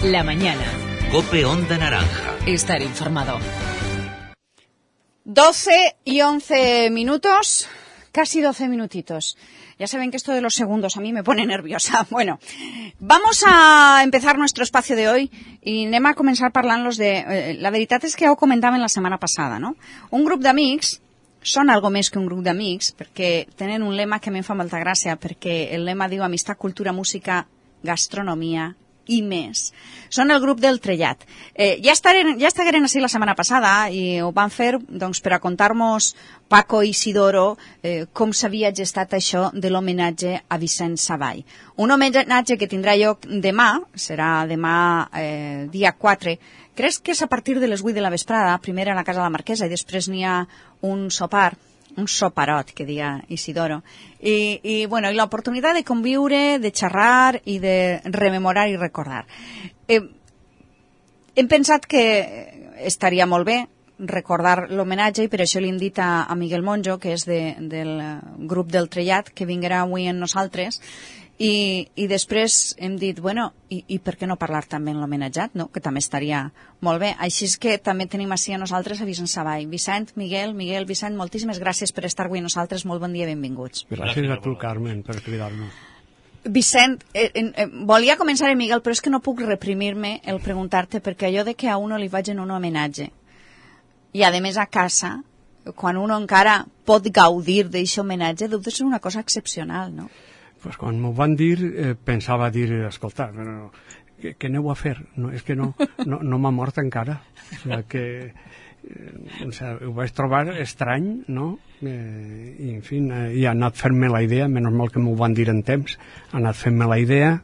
La mañana. COPE Onda Naranja. Estar informado. 12 y 11 minutos, casi 12 minutitos. Ya saben que esto de los segundos a mí me pone nerviosa. Bueno, vamos a empezar nuestro espacio de hoy i anem a començar parlant-los de... la veritat és que ja ho comentàvem la setmana passada, no? Un grup d'amics són algo més que un grup d'amics perquè tenen un lema que a mi em fa molta gràcia, perquè el lema diu amistat, cultura, música, gastronomia i més. Són el grup del Trellat. Ja estigueren així la setmana passada i ho van fer doncs, per a contar-nos Paco i Isidoro com s'havia gestat això de l'homenatge a Vicent Savall. Un homenatge que tindrà lloc demà, serà demà dia 4. Crec que és a partir de les 8 de la vesprada, primer a la Casa de la Marquesa i després n'hi ha un sopar, un soparot, que diga Isidoro, i l'oportunitat de conviure, de xerrar i de rememorar i recordar. Hem pensat que estaria molt bé recordar l'homenatge i per això li hem dit a Miguel Monjo, que és del grup del Trellat, que vinguerà avui amb nosaltres, i després hem dit, i per què no parlar també en l'homenatjat, no? Que també estaria molt bé. Així és que també tenim així a nosaltres a Vicent Savall. Vicent, Miguel, Vicent, moltíssimes gràcies per estar avui amb nosaltres. Molt bon dia i benvinguts. Gràcies a tu, Carmen, per cridar-nos. Vicent, volia començar amb Miguel, però és que no puc reprimir-me el preguntar-te, perquè allò de que a uno li vagin un homenatge i a més a casa, quan uno encara pot gaudir d'aquest homenatge, deu de ser una cosa excepcional, no? Pues quan m'ho van dir, pensava dir, escolta, però què aneu a fer? No, és que no m'ha mort encara. Ho vaig trobar estrany, no? I, en fi, he anat fent-me la idea, menys mal que m'ho van dir en temps, he anat fent-me la idea,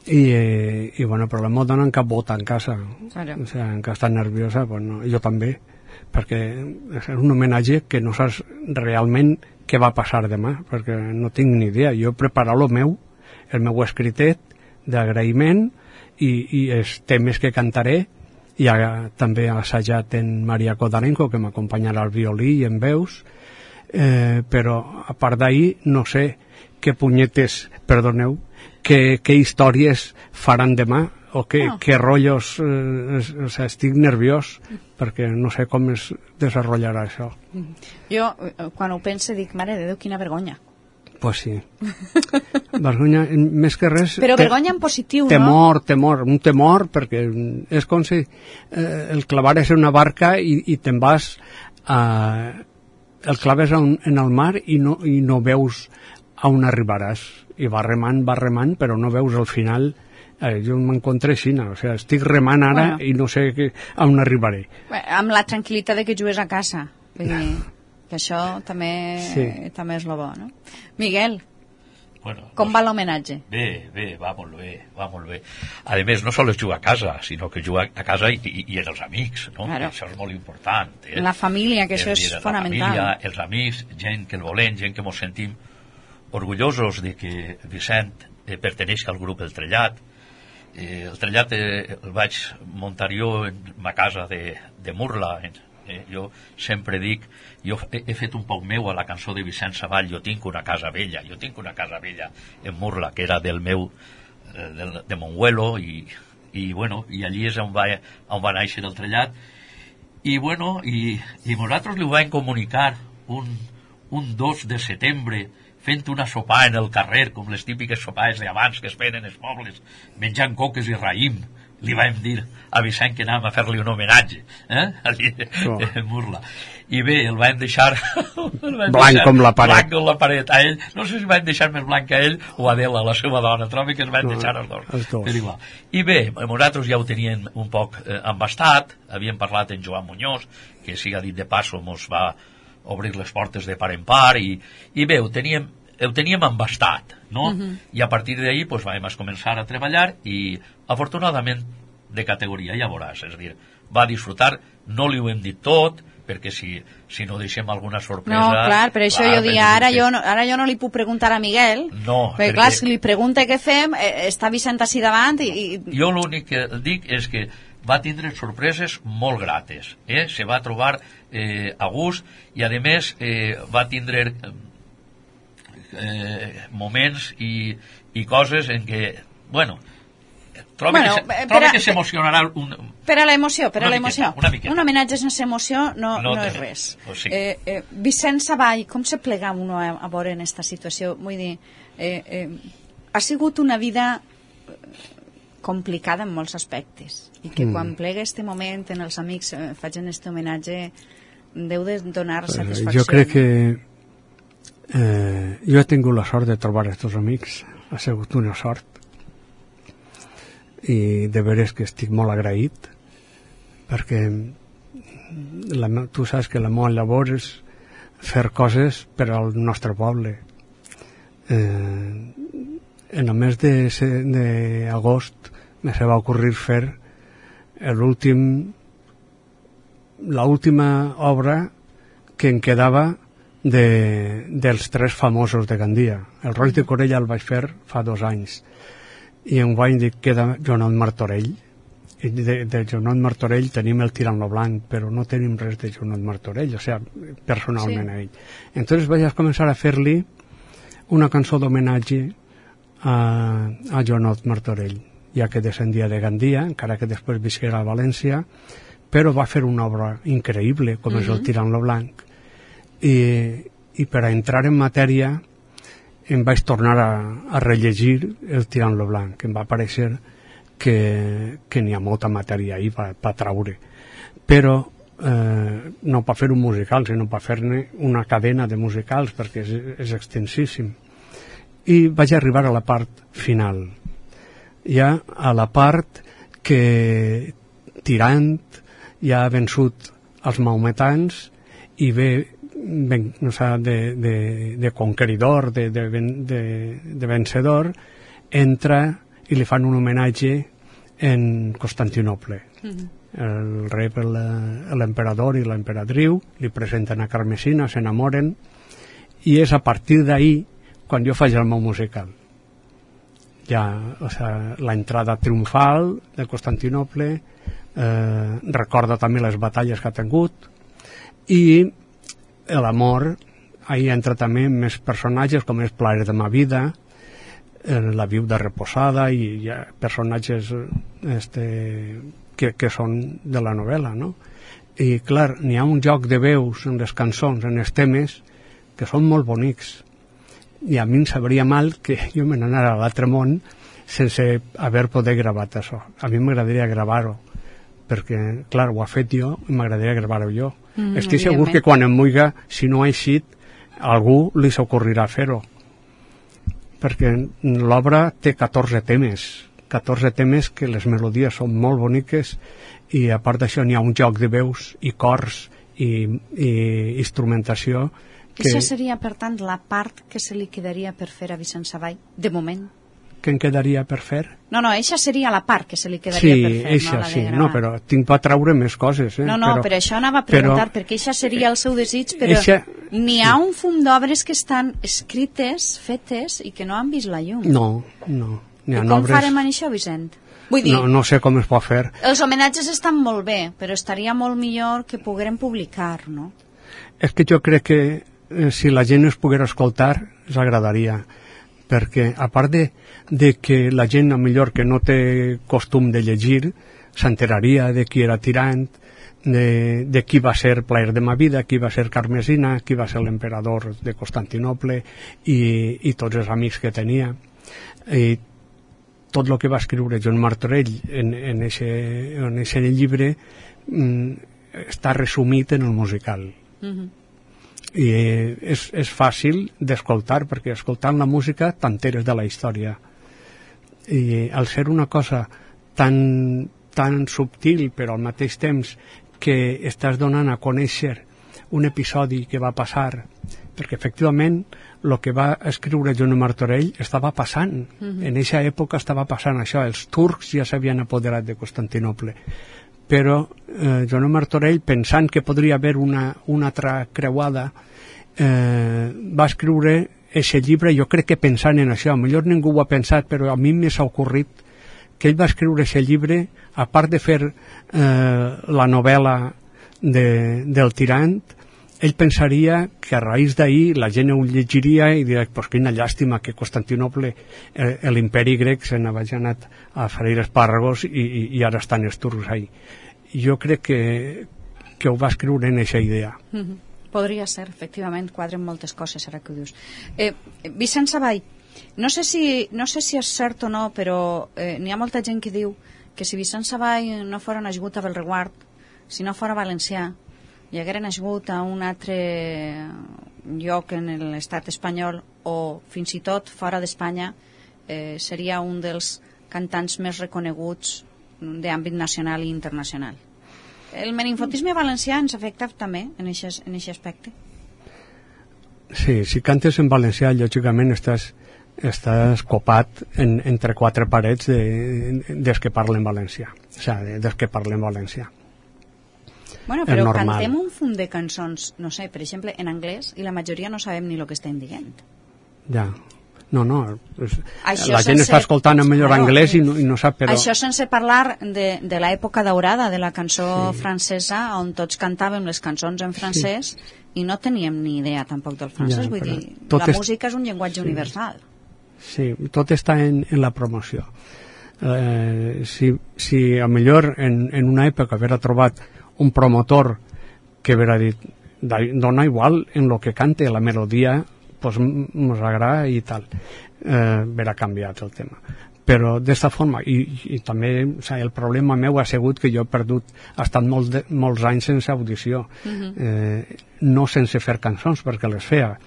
però la m'ho donen cap bota en casa. En què està nerviosa, jo també, perquè és un homenatge que no saps realment què va passar demà, perquè no tinc ni idea. Jo he preparat el meu escritet d'agraïment i els temes que cantaré, i també he assajat en Maria Kodarenko, que m'acompanyarà al violí i en veus, però a part d'ahir no sé què punyetes, perdoneu, què històries faran demà, o què rotllos, estic nerviós perquè no sé com es desenvoluparà això. Jo, quan ho pense, dic, mare de Déu, quina vergonya. Pues sí. Vergonya, més que res... Però vergonya en positiu, no? Un temor, perquè és com si el clavares en una barca i te'n vas... el claves en el mar i no veus on arribaràs. I va remant, però no veus al final... jo m'encontré així, estic remant ara i no sé on arribaré. Amb la tranquil·litat de que jugues a casa, vull dir que això també és lo bo, no? Miguel, com va l'homenatge? Bé, va molt bé. A més, no sols jugar a casa, sinó que jugar a casa i en els amics, no? Claro. Això és molt important. La família, que això és fonamental. La família, els amics, gent que el volem, gent que ens sentim orgullosos de que Vicent perteneix al grup El Trellat. El Trellat el vaig muntar jo en ma casa de Murla. Jo sempre dic, jo he fet un poc meu a la cançó de Vicent Savall, jo tinc una casa vella en Murla, que era del meu de Monguelo, i allí és on va néixer el Trellat, i nosaltres li ho vam comunicar un 2 de setembre, fent una sopar en el carrer, com les típiques sopars d'abans que es feien en els pobles, menjant coques i raïm. Li vam dir a Vicent que anàvem a fer-li un homenatge, allí en Murla. I bé, el vam deixar... blanc com la paret. Blanc com la paret. A ell, no sé si vam deixar més blanc a ell o a Adela, la seva dona, trobo que ens vam deixar els dos. I bé, nosaltres ja ho teníem un poc embastat, havíem parlat en Joan Muñoz, que siga dit de passo mos va obrir les portes de par en par, i bé, ho teníem embastat, no? I a partir d'ahir vam començar a treballar i afortunadament de categoria, ja veuràs, és a dir, va disfrutar, no li ho hem dit tot, perquè si no deixem alguna sorpresa... No, clar, per això jo dic, ara jo no li puc preguntar a Miguel, perquè clar, si li pregunta què fem, està Vicent així davant i... Jo l'únic que dic és que va tindre sorpreses molt grates, se va trobar a gust i a més va tindre moments i coses en què, trobo que s'emocionarà per a l'emoció, un homenatge sense emoció no és res. Vicent Savall, com se plega uno a veure en aquesta situació? Vull dir, ha sigut una vida complicada en molts aspectes i que quan plega este moment en els amics facin este homenatge deu de donar satisfacció. Jo crec que jo he tingut la sort de trobar aquests amics, ha sigut una sort i de veres que estic molt agraït perquè tu saps que la meva labor és fer coses per al nostre poble. En el mes d'agost me se va ocurrir fer l'última obra que em quedava dels tres famosos de Gandia. El Roig de Corella el vaig fer fa 2 anys i enguany queda Joanot Martorell. De Joanot Martorell tenim el Tirant lo Blanc, però no tenim res de Joanot Martorell, o sigui, personalment a ell. Entonces vaig començar a fer-li una cançó d'homenatge a Joanot Martorell, ja que descendia de Gandia, encara que després visquera a València, però va fer una obra increïble, com és el Tirant lo Blanc. I per a entrar en matèria em vaig tornar a rellegir el Tirant lo Blanc, em va parèixer que n'hi ha molta matèria ahí per traure, però no per fer un musical, sinó per fer-ne una cadena de musicals, perquè és extensíssim. I vaig arribar a la part final, ja a la part que Tirant ja ha vençut els maometans i ve de conqueridor, de vencedor, entra i li fan un homenatge en Constantinople. El rei, l'emperador i l'emperadriu li presenten a Carmesina, s'enamoren i és a partir d'ahir quan jo faig el meu musical. Ja, o sigui, l'entrada triomfal de Constantinople, recorda també les batalles que ha tingut i l'amor, ahí entra també més personatges com és Plaer de ma vida, La viuda reposada i personatges que són de la novel·la, no? I clar, n'hi ha un joc de veus en les cançons, en els temes, que són molt bonics i a mi em sabria mal que jo me n'anara a l'altre món sense haver poder gravat això. A mi m'agradaria gravar-ho perquè, clar, ho ha fet jo i m'agradaria gravar-ho jo. Estic segur que quan em muiga, si no ha eixit, a algú li s'ocorrirà fer-ho, perquè l'obra té 14 temes que les melodies són molt boniques i a part d'això n'hi ha un joc de veus i cors i instrumentació que... Això seria, per tant, la part que se li quedaria per fer a Vicent Savall, de moment. Què em quedaria per fer? No, eixa seria la part que se li quedaria per fer. Sí, eixa, no, però tinc per treure més coses. No, però això anava a preguntar, perquè eixa seria el seu desig, però n'hi ha un fum d'obres que estan escrites, fetes, i que no han vist la llum. No. I com farem en això, Vicent? Vull dir, no sé com es pot fer. Els homenatges estan molt bé, però estaria molt millor que poguérem publicar, no? És que jo crec que si la gent es poguera escoltar, ens agradaria, perquè a part de que la gent a millor que no té costum de llegir s'enteraria de qui era Tirant, de qui va ser Plaer de ma vida, qui va ser Carmesina, qui va ser l'emperador de Constantinople i tots els amics que tenia, i tot el que va escriure Joan Martorell en ese llibre està resumit en el musical. I és fàcil d'escoltar, perquè escoltant la música t'enteres de la història, i al ser una cosa tan subtil però al mateix temps que estàs donant a conèixer un episodi que va passar, perquè efectivament el que va escriure Joan Martorell estava passant, en aquesta època estava passant això, els turcs ja s'havien apoderat de Constantinople, però Joan Martorell, pensant que podria haver una altra creuada, va escriure aquest llibre, jo crec que pensant en això, millor ningú ho ha pensat, però a mi m'ha ocorrit que ell va escriure aquest llibre, a part de fer la novel·la del Tirant, ell pensaria que a raïs d'ahir la gent ho llegiria i diria, pues quina llàstima que Constantinople, l'imperi grec, se n'havia anat a freir espàrragos i ara estan els turcs ahí. Jo crec que ho va escriure en aquesta idea. Podria ser, efectivament, quadren moltes coses ara que ho dius. Vicent Savall, no sé si és cert o no, però n'hi ha molta gent que diu que si Vicent Savall no fora nascut a Belreguard, si no fora valencià, i haguera nascut a un altre lloc en l'estat espanyol o fins i tot fora d'Espanya, seria un dels cantants més reconeguts d'àmbit nacional i internacional. El meninfotisme valencià ens afecta també en aquest aspecte? Sí, si cantes en valencià, lògicament estàs copat entre quatre parets dels que parlen valencià. O sigui, dels que parlen valencià. Bueno, però cantem un fum de cançons, no sé, per exemple, en anglès, i la majoria no sabem ni el que estem dient. Ja. No, la gent està escoltant en millor anglès i no sap, però... Això sense parlar de l'època daurada de la cançó francesa, on tots cantàvem les cançons en francès i no teníem ni idea tampoc del francès, vull dir, la música és un llenguatge universal. Sí, tot està en la promoció. Si a millor en una època haver trobat un promotor que haver dit dona igual en lo que cante la melodia, pues nos agrada i tal, haver canviat el tema. Però d'esta forma, i també el problema meu ha sigut que jo he perdut, ha estat molts anys sense audició, no sense fer cançons, perquè les feia.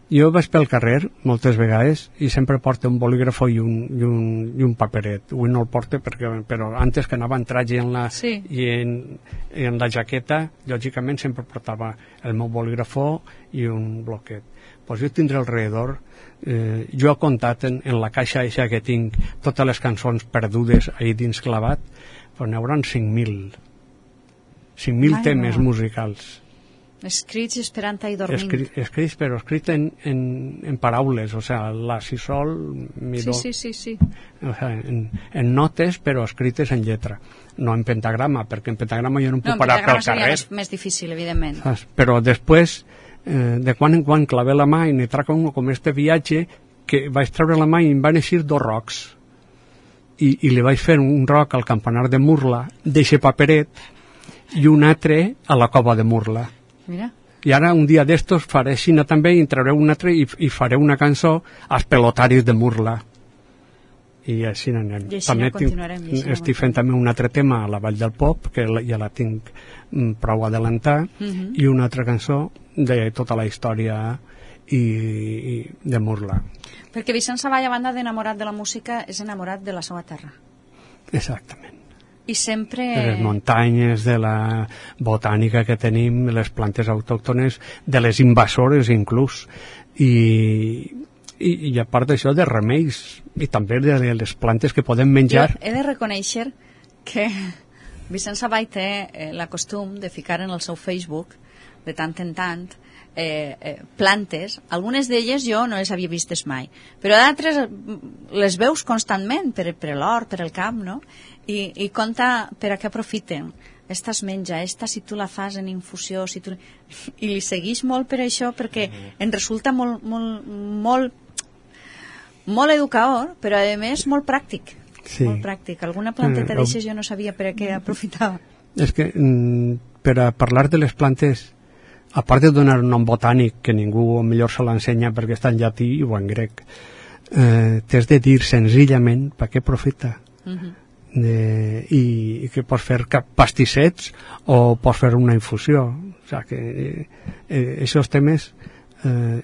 Jo vaig pel carrer moltes vegades i sempre porto un bolígrafo i un paperet. Avui no el porto però antes que anava en traje i en la jaqueta, lògicament sempre portava el meu bolígrafo i un bloquet. Pues jo tindré alrededor, jo he comptat en la caixa eixa que tinc totes les cançons perdudes ahí dins clavat, pues n'hi haurà 5.000 temes musicals. Escrits esperant-hi dormint. Escrits, però escrits en paraules, o sea, la, si, sol, mi, do. Sí. O sea, en notes, però escrites en lletra. No en pentagrama, perquè en pentagrama jo no em puc parar pel carrer. No, més difícil, evidentment. Però després, de quan en quan clavé la mà i n'hi traca un com este viatge, que vaig treure la mà i em van eixir 2 rocs. I li vaig fer un roc al campanar de Murla, d'eixe paperet, i un altre a la cova de Murla. Mira. I ara un dia d'estos faré Xina també i trauré un altre i faré una cançó als pelotaris de Murla i així anem. També estic fent també un altre tema a la Vall del Pop, que ja la tinc prou adelantar, i una altra cançó de tota la història de Murla. Perquè Vicent Savall, a banda d'enamorat de la música, és enamorat de la seva terra. Exactament. I sempre... De les muntanyes, de la botànica que tenim, de les plantes autòctones, de les invasores inclús, i a part d'això de remeis, i també de les plantes que podem menjar. Jo he de reconèixer que Vicent Savall té la costum de ficar en el seu Facebook, de tant en tant, plantes. Algunes d'elles jo no les havia vistes mai, però d'altres les veus constantment per l'hort, per el camp, no? I conta per a què aprofiten. Esta es menja, esta si tu la fas en infusió, i li segueix molt per això, perquè en resulta molt educador, però a més molt pràctic. Sí. Molt pràctic. Alguna planteta d'eixes jo no sabia per a què aprofitava. És que per a parlar de les plantes, a part de donar un nom botànic que ningú millor se l'ensenya perquè està en llatí o en grec, t'has de dir senzillament per què aprofita. I que pots fer pastissets o pots fer una infusió. O sigui que aquests temes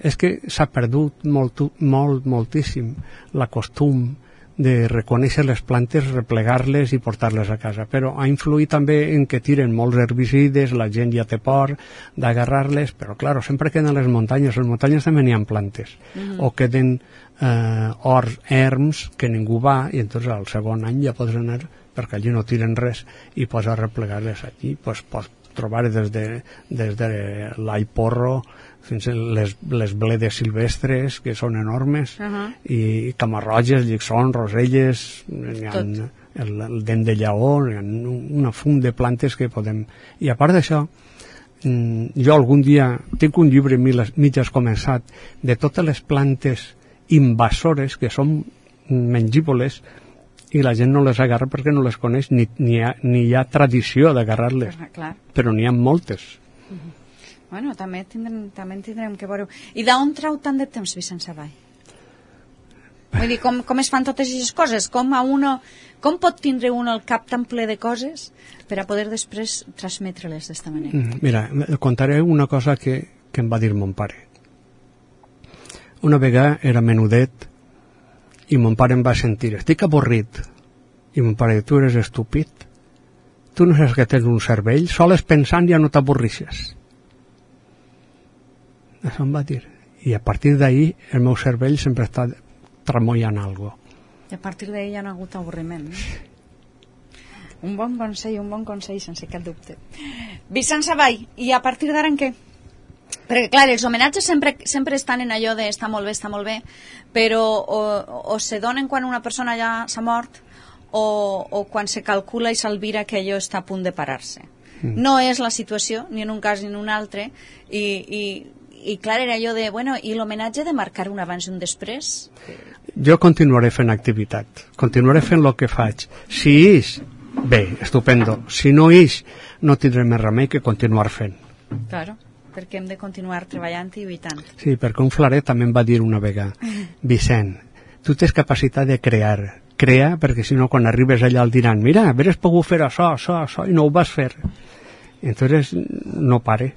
és que s'ha perdut moltíssim la costum de reconèixer les plantes, replegar-les i portar-les a casa, però ha influït també en que tiren molts herbicides, la gent ja té por d'agarrar-les, però clar, sempre queden les muntanyes també n'hi ha plantes, o queden horts, erms que ningú va, i entonces al segon any ja pots anar, perquè allí no tiren res, i pots replegar-les allí, pots trobar des de l'aiporro fins a les bledes silvestres, que són enormes, i camarroges, lliçons, roselles, el dent de lleó, un fum de plantes que podem... I a part d'això, jo algun dia tinc un llibre mitges començat de totes les plantes invasores que són mengívoles i la gent no les agarra perquè no les coneix ni hi ha tradició d'agarrar-les, però n'hi ha moltes. Bueno, també tindrem que veure. I d'on trau tant de temps Vicent Savall? Vull dir, com es fan totes aquestes coses? Com pot tindre un el cap tan ple de coses per a poder després transmetre-les d'esta manera? Mira, contaré una cosa que em va dir mon pare. Una vegada era menudet i mon pare em va sentir, estic avorrit. I mon pare, tu eres estúpid? Tu no saps que tens un cervell? Soles pensant ja no t'avorrixes. Això em va dir. I a partir d'ahir el meu cervell sempre està tremollant alguna cosa. I a partir d'ahir ja no ha hagut avorriment. Un bon consell, sense cap dubte. Vicent Savall, i a partir d'ara en què? Perquè, clar, els homenatges sempre estan en allò de està molt bé, però o se donen quan una persona ja s'ha mort o quan se calcula i s'alvira que allò està a punt de parar-se. No és la situació, ni en un cas ni en un altre, i clar, era allò de, bueno, i l'homenatge de marcar un abans i un després? Jo continuaré fent activitat, continuaré fent el que faig. Si ix, bé, estupendo. Si no ix, no tindré més remei que continuar fent. Claro, perquè hem de continuar treballant i lluitant. Sí, perquè un flaret també em va dir una vegada, Vicent, tu tens capacitat de crear, perquè si no quan arribes allà el diran, mira, hauries pogut fer això, i no ho vas fer. Entonces no pare.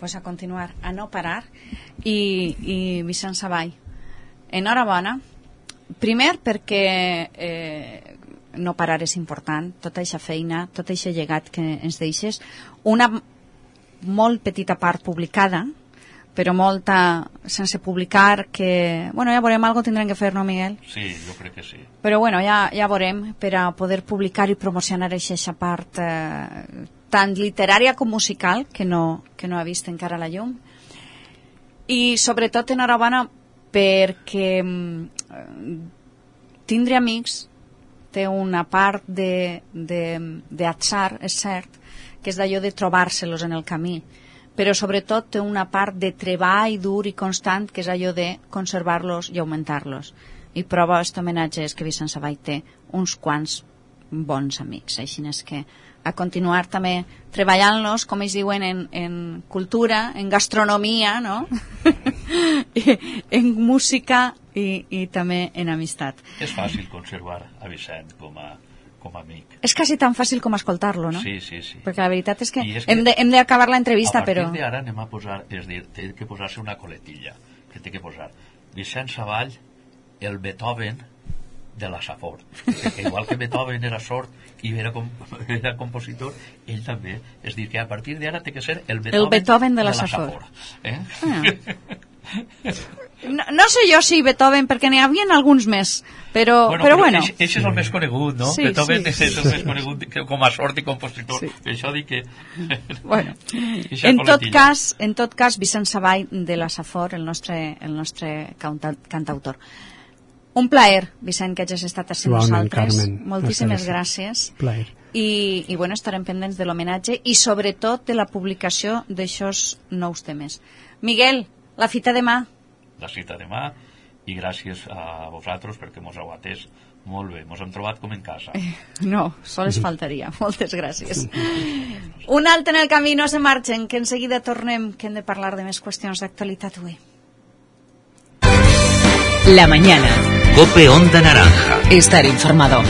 Pues a continuar, a no parar. I Vicent Savall, enhorabona, primer perquè no parar és important, tota aquesta feina, tot aquest llegat que ens deixes, una molt petita part publicada, però molta sense publicar, que, bueno, ja veurem, algo tindrem que fer, no, Miguel? Sí, jo crec que sí. Però, bueno, ja veurem, per a poder publicar i promocionar aquesta part tant literària com musical, que no ha vist encara la llum. I, sobretot, enhorabona perquè tindre amics té una part d'atzar, és cert, que és d'allò de trobar-se-los en el camí, però sobretot té una part de treball dur i constant, que és allò de conservar-los i augmentar-los. I prova aquest homenatge és que Vicent Savall té uns quants bons amics, així és que a continuar també treballant-los, com ells diuen, en cultura, en gastronomia, no? En música i també en amistat. És fàcil conservar a Vicent com a amic. És quasi tan fàcil com escoltar-lo, no? Sí. Perquè la veritat és que hem d'acabar l'entrevista, però... A partir d'ara anem a posar, és dir, té que posar-se una coletilla, que té que posar Vicent Savall, el Beethoven de la Safor. Perquè igual que Beethoven era sord i era compositor, ell també. És dir, que a partir d'ara té que ser el Beethoven de la Safor. No sé jo si Beethoven, perquè n'hi havia alguns més, però bueno. Ell és el més conegut, no? Sí, Beethoven és el més conegut com a sord i compositor. Per això dic que... Bueno, en tot cas, Vicent Savall de la Safor, el nostre cantautor. Un plaer, Vicent, que hagis estat així amb nosaltres. Moltíssimes gràcies. I bueno, estarem pendents de l'homenatge i sobretot de la publicació d'aixòs nous temes. Miguel, la cita demà. La cita demà, i gràcies a vosaltres perquè mos heu atès molt bé. Mos hem trobat com en casa. No, sols faltaria. Moltes gràcies. Un altre en el camí, no se marxen, que en seguida tornem, que hem de parlar de més qüestions d'actualitat avui. La mañana. COPE Onda Naranja. Estar informado.